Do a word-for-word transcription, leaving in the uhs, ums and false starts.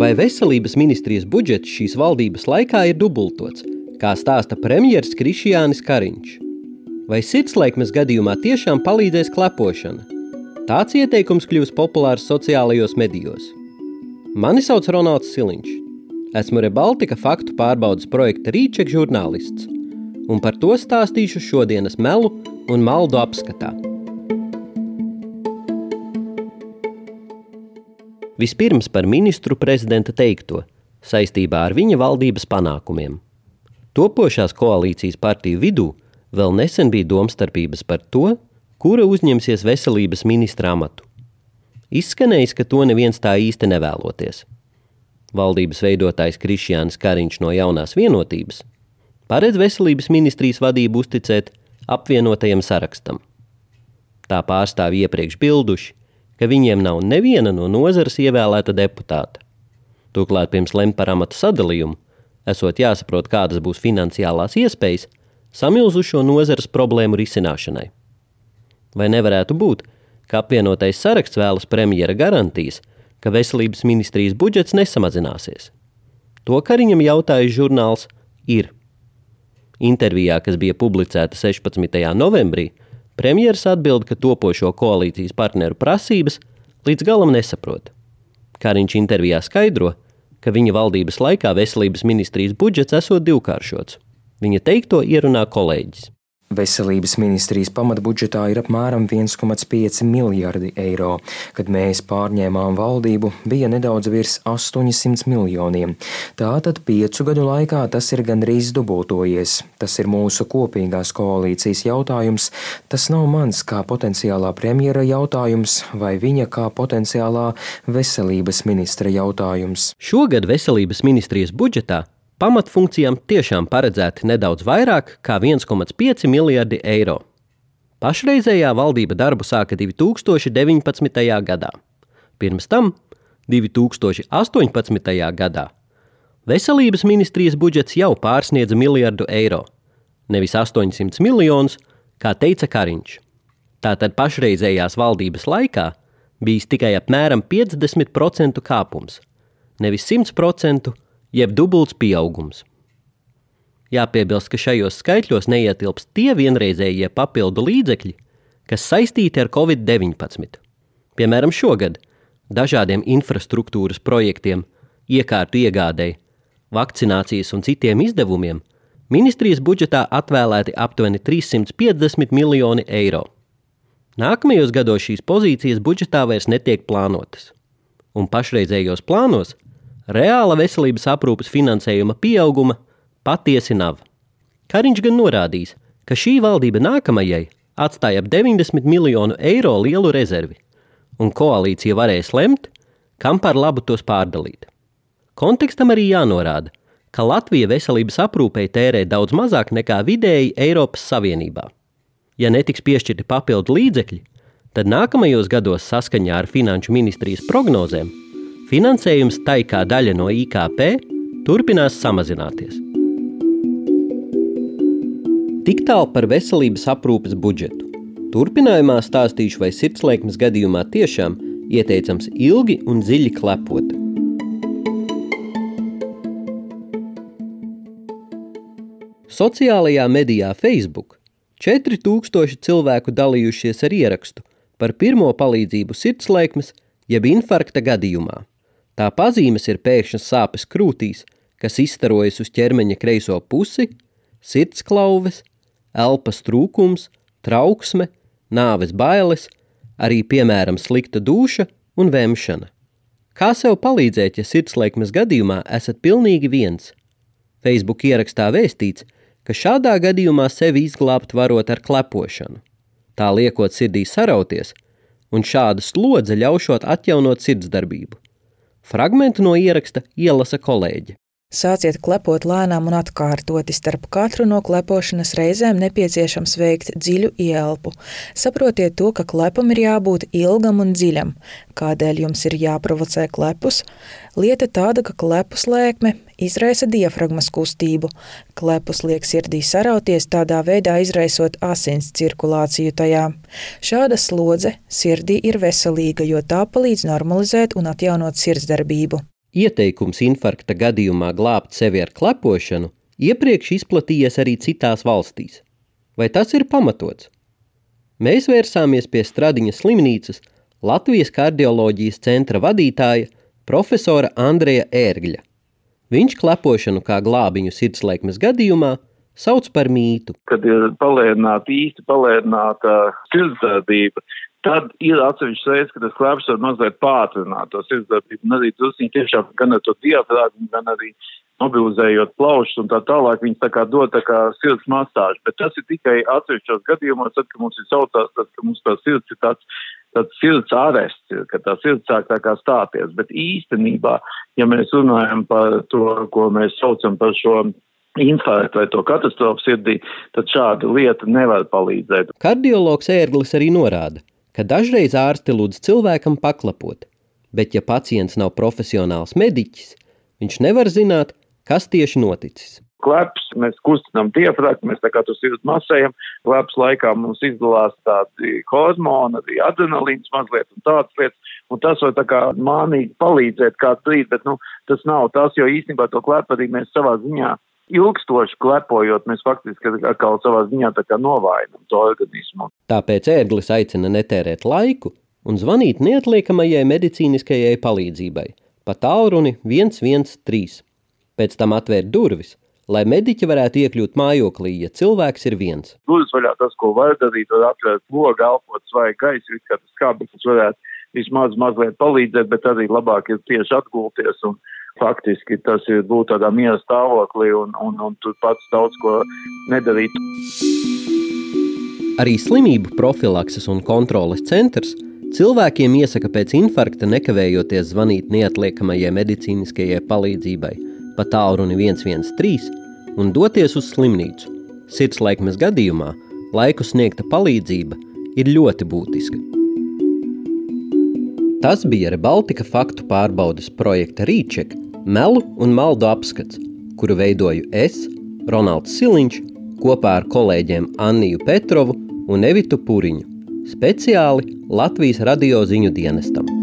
Vai veselības ministrijas budžets šīs valdības laikā ir dubultots, kā stāsta premjers Krišjānis Kariņš? Vai sirdslēkmes gadījumā tiešām palīdzēs klepošana? Tāds ieteikums kļūs populārs sociālajos medijos. Mani sauc Ronalds Siliņš. Esmu Rebaltika faktu pārbaudas projekta Rīček žurnālists, un par to stāstīšu šodienas melu un maldu apskatā. Vispirms par ministru prezidenta teikto saistībā ar viņa valdības panākumiem. Topošās koalīcijas partiju vidū vēl nesen bija domstarpības par to, kura uzņemsies veselības ministra amatu. Izskanējis, ka to neviens tā īsti nevēloties. Valdības veidotājs Krišjānis Kariņš no Jaunās vienotības paredz veselības ministrijas vadību uzticēt apvienotajam sarakstam. Tā pārstāvji iepriekš bilduši, ka viņiem nav neviena no nozares ievēlēta deputāta. Turklāt pirms lemt par amata sadalījumu, esot jāsaprot, kādas būs finansiālās iespējas samilzušo nozares problēmu risināšanai. Vai nevarētu būt, ka apvienotais saraksts vēlas premjera garantijas, ka veselības ministrijas budžets nesamazināsies? To Kariņam jautājis žurnāls Ir. Intervijā, kas bija publicēta sešpadsmitajā novembrī, premjers atbild, ka topošo koalīcijas partneru prasības līdz galam nesaprot. Kariņš intervijā skaidro, ka viņa valdības laikā veselības ministrijas budžets esot divkāršots. Viņa teikto ierunā kolēģis. Veselības ministrijas pamatbudžetā ir apmēram viens komats pieci miljardi eiro. Kad mēs pārņēmām valdību, bija nedaudz virs astoņsimt miljoniem. Tātad piecu gadu laikā tas ir gandrīz dubultojies. Tas ir mūsu kopīgās koalīcijas jautājums. Tas nav mans kā potenciālā premjera jautājums vai viņa kā potenciālā veselības ministra jautājums. Šogad veselības ministrijas budžetā pamatfunkcijām tiešām paredzēti nedaudz vairāk kā viens komats pieci miljardi eiro. Pašreizējā valdība darbu sāka divi tūkstoši deviņpadsmitajā gadā. Pirms tam, divi tūkstoši astoņpadsmitajā gadā, veselības ministrijas budžets jau pārsniedza miljardu eiro, nevis astoņsimt miljonus, kā teica Kariņš. Tātad pašreizējās valdības laikā bijis tikai apmēram piecdesmit procentu kāpums, nevis simt procentu, jeb dubults pieaugums. Jāpiebilst, ka šajos skaitļos neietilpst tie vienreizējie papildu līdzekļi, kas saistīti ar covid deviņpadsmit. Piemēram, šogad dažādiem infrastruktūras projektiem, iekārtu iegādei, vakcinācijas un citiem izdevumiem ministrijas budžetā atvēlēti aptuveni trīssimt piecdesmit miljoni eiro. Nākamajos gados šīs pozīcijas budžetā vairs netiek plānotas, un pašreizējos plānos reāla veselības aprūpes finansējuma pieauguma patiesi nav. Kariņš gan norādījis, ka šī valdība nākamajai atstāja ap deviņdesmit miljonu eiro lielu rezervi, un koalīcija varēs lemt, kam par labu tos pārdalīt. Kontekstam arī jānorāda, ka Latvija veselības aprūpei tērē daudz mazāk nekā vidēji Eiropas Savienībā. Ja netiks piešķirti papildu līdzekļi, tad nākamajos gados saskaņā ar Finanšu ministrijas prognozēm finansējums tai kā daļa no I K P turpinās samazināties. Tik tālu par veselības aprūpes budžetu. Turpinājumā stāstīšu, vai sirdslēkmes gadījumā tiešām ieteicams ilgi un dziļi klepot. Sociālajā medijā Facebook četri tūkstoši cilvēku dalījušies ar ierakstu par pirmo palīdzību sirdslēkmes jeb infarkta gadījumā. Tā pazīmes ir pēkšņas sāpes krūtīs, kas izstarojas uz ķermeņa kreiso pusi, sirdsklauves, elpas trūkums, trauksme, nāves bailes, arī, piemēram, slikta dūša un vemšana. Kā sev palīdzēt, ja sirdslēkmes gadījumā esat pilnīgi viens? Facebook ierakstā vēstīts, ka šādā gadījumā sevi izglābt varot ar klepošanu. Tā liekot sirdī sarauties, un šāda slodze ļaušot atjaunot sirdsdarbību. Fragmentu no ieraksta ielasa kolēģe. Sāciet klepot lēnām un atkārtoti. Starp katru no klepošanas reizēm nepieciešams veikt dziļu ieelpu. Saprotiet to, ka klepam ir jābūt ilgam un dziļam. Kādēļ jums ir jāprovocē klepus? Lieta tāda, ka klepu slēkme izraisa diafragmas kustību. Klepus liek sirdī sarauties, tādā veidā izraisot asins cirkulāciju tajā. Šāda slodze sirdī ir veselīga, jo tā palīdz normalizēt un atjaunot sirdsdarbību. Ieteikums infarkta gadījumā glābt sevi ar klepošanu iepriekš izplatījies arī citās valstīs. Vai tas ir pamatots? Mēs vērsāmies pie Stradiņas slimnīcas Latvijas kardioloģijas centra vadītāja profesora Andreja Ērgļa. Viņš klepošanu kā glābiņu sirdsliekmes gadījumā sauc par mītu. Kad ir palēnināta, īsti palēnināta sirdsdarbība, tad ir atsevišķas reizes, ka tas kleps var mazliet pātrināt to sirdsdarbību. Un arī drusciņi tiešām gan ar to diafragmu, gan arī mobilizējot plaušas un tā tālāk, viņas tā kā dod tā kā sirds masāžu. Bet tas ir tikai atsevišķos gadījumos, tad, ka mums ir saucās, tad, ka mums tā sirds ir tāds, tāds sirds arests, ka tā sirds sāk tā kā stāties. Bet īstenībā, ja mēs runājam par to, ko mēs saucam par šo infarktu vai to katastrofu sirdī, tad šāda lieta nevar palīdzēt. Kardiologs Ērglis arī norāda, ka dažreiz ārsti lūdz cilvēkam paklapot, bet ja pacients nav profesionāls mediķis, viņš nevar zināt, kas tieši noticis. Kleps, mēs kustinām diafragmu, mēs tā kā to sirds masējam, kleps laikā mums izdalās tādi hormoni, arī adrenalīns mazliet un tādas lietas, un tas var tā kā mānīgi palīdzēt kādu brīdi, bet nu, tas nav tas, jo īstenībā to klepu arī mēs savā ziņā ilgstoši klepojot, mēs faktiski atkal savā ziņā tā kā novājinam to organismu. Tāpēc Ērglis aicina netērēt laiku un zvanīt neatliekamajai medicīniskajai palīdzībai pa tālruni viens viens trīs. Pēc tam atvērt durvis, lai mediķi varētu iekļūt mājoklī, ja cilvēks ir viens. Durvis vaļā tas, ko var darīt, var atvērt logu, elpot svaigu gaisu, kā tas skābeklis varētu vismaz mazliet palīdzēt, bet arī labāk ir tieši atgulties un faktiski tas ir būt tādā miera stāvoklī un, un, un tur pats daudz ko nedarīt. Arī slimību profilakses un kontroles centrs cilvēkiem iesaka pēc infarkta nekavējoties zvanīt neatliekamajai medicīniskajai palīdzībai pa tālruni viens viens trīs un doties uz slimnīcu. Sirdsliekmes gadījumā laiku sniegta palīdzība ir ļoti būtiska. Tas bija Rebaltika faktu pārbaudes projekta Rīček melu un maldu apskats, kuru veidoju es, Ronalds Siliņš, kopā ar kolēģiem Anniju Petrovu un Evitu Puriņu, speciāli Latvijas radio ziņu dienestam.